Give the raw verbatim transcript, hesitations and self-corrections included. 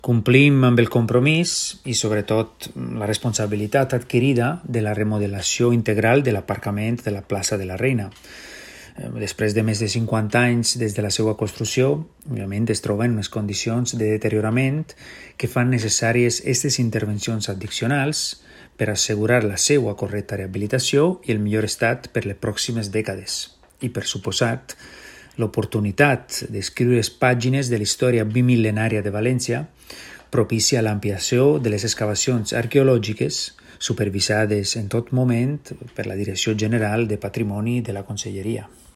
Complim amb el compromís i, sobretot, la responsabilitat adquirida de la remodelació integral de l'aparcament de la plaça de la Reina. Després de més de cinquanta anys des de la seva construcció, òbviament es troba en unes condicions de deteriorament que fan necessàries aquestes intervencions addicionals per assegurar la seva correcta rehabilitació i el millor estat per les pròximes dècades. I, per suposat, l'oportunitat d'escriure les pàgines de la història bimil·lenària de València propicia l'ampliació de les excavacions arqueològiques supervisades en tot moment per la Direcció General de Patrimoni de la Conselleria.